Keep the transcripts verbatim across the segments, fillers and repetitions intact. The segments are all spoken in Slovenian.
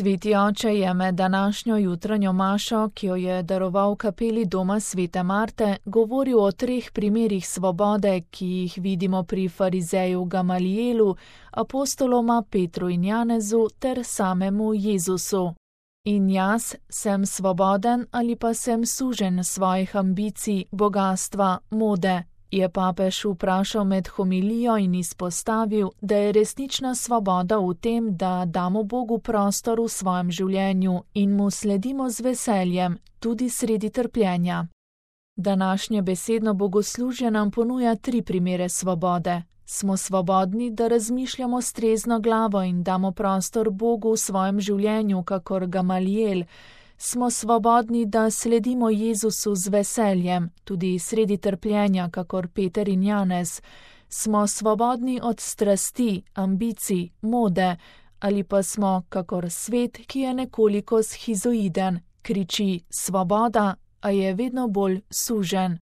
Sveti oče je med današnjo jutranjo mašo, ki jo je daroval kapeli doma svete Marte, govoril o treh primerih svobode, ki jih vidimo pri farizeju Gamalijelu, apostoloma Petru in Janezu ter samemu Jezusu. In jaz sem svoboden ali pa sem sužen svojih ambicij, bogastva, mode, je papež vprašal med homilijo in izpostavil, da je resnična svoboda v tem, da damo Bogu prostor v svojem življenju in mu sledimo z veseljem, tudi sredi trpljenja. Današnje besedno bogoslužje nam ponuja tri primere svobode. Smo svobodni, da razmišljamo s trezno glavo in damo prostor Bogu v svojem življenju, kakor Gamalijel. Smo svobodni, da sledimo Jezusu z veseljem, tudi sredi trpljenja, kakor Peter in Janez. Smo svobodni od strasti, ambicij, mode, ali pa smo, kakor svet, ki je nekoliko shizoiden, kriči svoboda, a je vedno bolj sužen.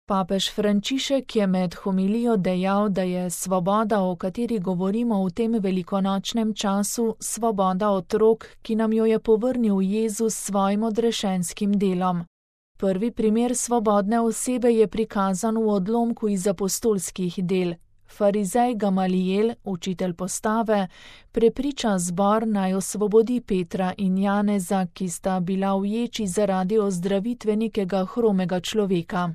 Papež Frančišek je med homilijo dejal, da je svoboda, o kateri govorimo v tem velikonočnem času, svoboda otrok, ki nam jo je povrnil Jezus s svojim odrešenskim delom. Prvi primer svobodne osebe je prikazan v odlomku iz apostolskih del. Farizej Gamalijel, učitelj postave, prepriča zbor naj osvobodi Petra in Janeza, ki sta bila uječi zaradi ozdravitve nekega hromega človeka.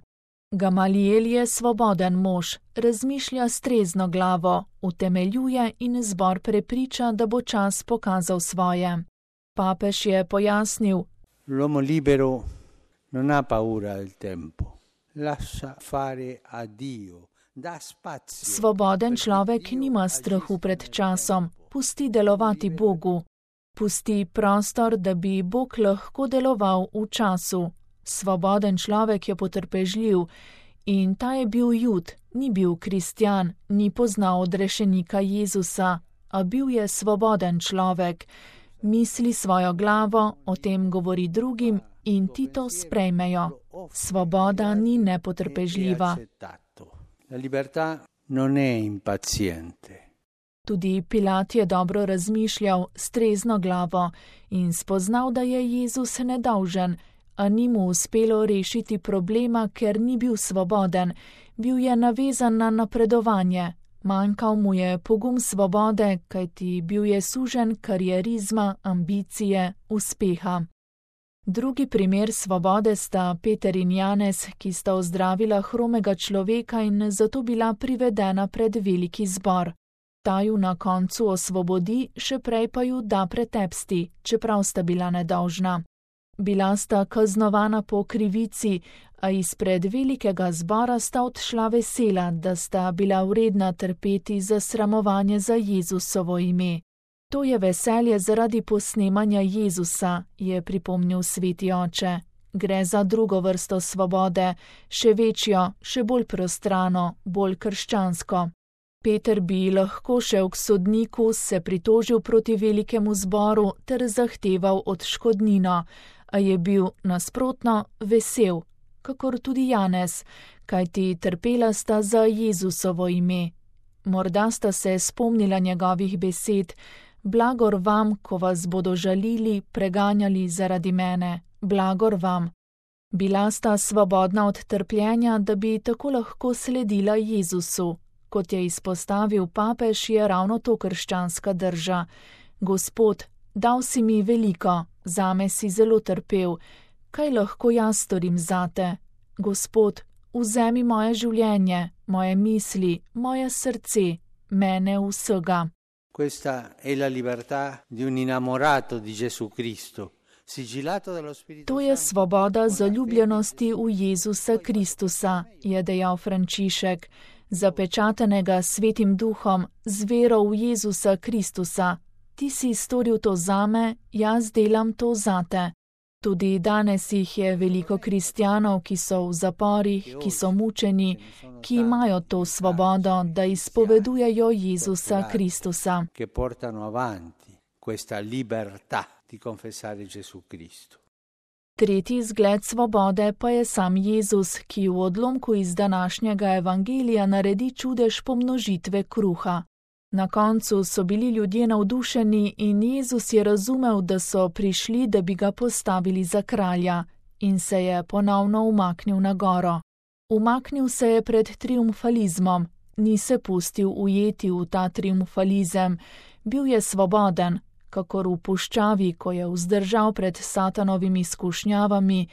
Gamalijel je svoboden mož, razmišlja s trezno glavo, utemeljuje in zbor prepriča, da bo čas pokazal svoje. Papež je pojasnil: L'uomo libero non ha paura del tempo, lascia fare a Dio, da spazio. Svoboden človek nima strahu pred časom, pusti delovati Bogu. Pusti prostor, da bi Bog lahko deloval v času. Svoboden človek je potrpežljiv in ta je bil Jud, ni bil kristjan, ni poznal odrešenika Jezusa, a bil je svoboden človek. Misli svojo glavo, o tem govori drugim in ti to sprejmejo. Svoboda ni nepotrpežljiva. La libertà non è impaziente. Tudi Pilat je dobro razmišljal s trezno glavo in spoznal, da je Jezus nedolžen, a ni mu uspelo rešiti problema, ker ni bil svoboden, bil je navezan na napredovanje. Manjkal mu je pogum svobode, kajti bil je sužen karierizma, ambicije, uspeha. Drugi primer svobode sta Peter in Janez, ki sta ozdravila hromega človeka in zato bila privedena pred veliki zbor. Ta ju na koncu osvobodi, še prej pa ju da pretepsti, čeprav sta bila nedolžna. Bila sta kaznovana po krivici, a izpred velikega zbora sta odšla vesela, da sta bila vredna trpeti za sramovanje za Jezusovo ime. To je veselje zaradi posnemanja Jezusa, je pripomnil sveti oče. Gre za drugo vrsto svobode, še večjo, še bolj prostrano, bolj krščansko. Peter bi lahko šel k sodniku, se pritožil proti velikemu zboru ter zahteval odškodnino, a je bil nasprotno vesel, kakor tudi Janez, kajti trpela sta za Jezusovo ime. Morda sta se spomnila njegovih besed: blagor vam, ko vas bodo žalili, preganjali zaradi mene, blagor vam. Bila sta svobodna od trpljenja, da bi tako lahko sledila Jezusu. Kot je izpostavil papež, je ravno to krščanska drža. Gospod, dal si mi veliko, zame si zelo trpel, kaj lahko jaz storim zate? Gospod, vzemi moje življenje, moje misli, moje srce, mene vsega. Questa è la libertà di un innamorato di Gesù Cristo. To je svoboda zaljubljenosti v Jezusa Kristusa, je dejal Frančišek, zapečatenega svetim duhom, z vero v Jezusa Kristusa. Ti si storil to zame, jaz delam to zate. Tudi danes jih je veliko kristjanov, ki so v zaporih, ki so mučeni, ki imajo to svobodo, da izpovedujejo Jezusa Kristusa. Che portano avanti questa libertà di confessare Gesù Cristo. Tretji zgled svobode pa je sam Jezus, ki v odlomku iz današnjega evangelija naredi čudež pomnožitve kruha. Na koncu so bili ljudje navdušeni in Jezus je razumel, da so prišli, da bi ga postavili za kralja, in se je ponovno umaknil na goro. Umaknil se je pred triumfalizmom, ni se pustil ujeti v ta triumfalizem, bil je svoboden, kakor v puščavi, ko je vzdržal pred satanovimi skušnjavami,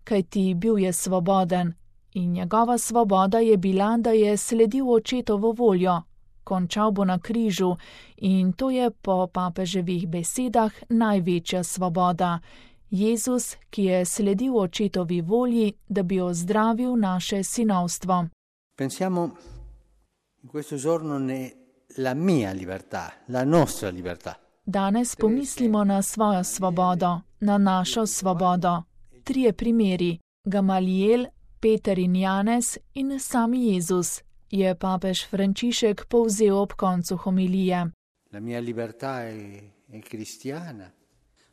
kajti bil je svoboden, in njegova svoboda je bila, da je sledil očetovo voljo. Končal bo na križu in to je po papeževih besedah največja svoboda. Jezus, ki je sledil očetovi volji, da bi ozdravil naše sinovstvo. Pensiamo in questo giorno ne la mia libertà, la nostra libertà. Danes pomislimo na svojo svobodo, na našo svobodo. Trije primeri, Gamalijel, Peter in Janez in sami Jezus, je papež Frančišek povzel ob koncu homilije. La mia libertà è, è cristiana.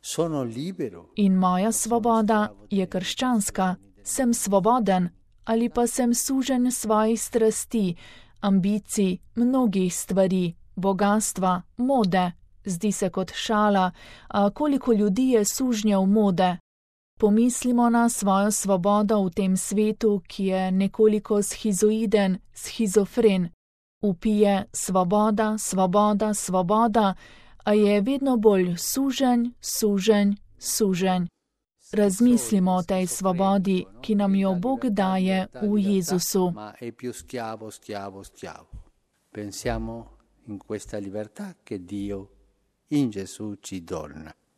Sono libero. In moja svoboda je krščanska. Sem svoboden ali pa sem sužen svojih strasti, ambicij, mnogih stvari, bogastva, mode. Zdi se kot šala, a koliko ljudi je sužnjev mode. Pomislimo na svojo svobodo v tem svetu, ki je nekoliko schizoiden, schizofren. Vpije svoboda, svoboda, svoboda, a je vedno bolj suženj, suženj, suženj. Razmislimo o tej svobodi, ki nam jo Bog daje v Jezusu. Pensiamo in questa libertà che Dio in Gesù ci dona.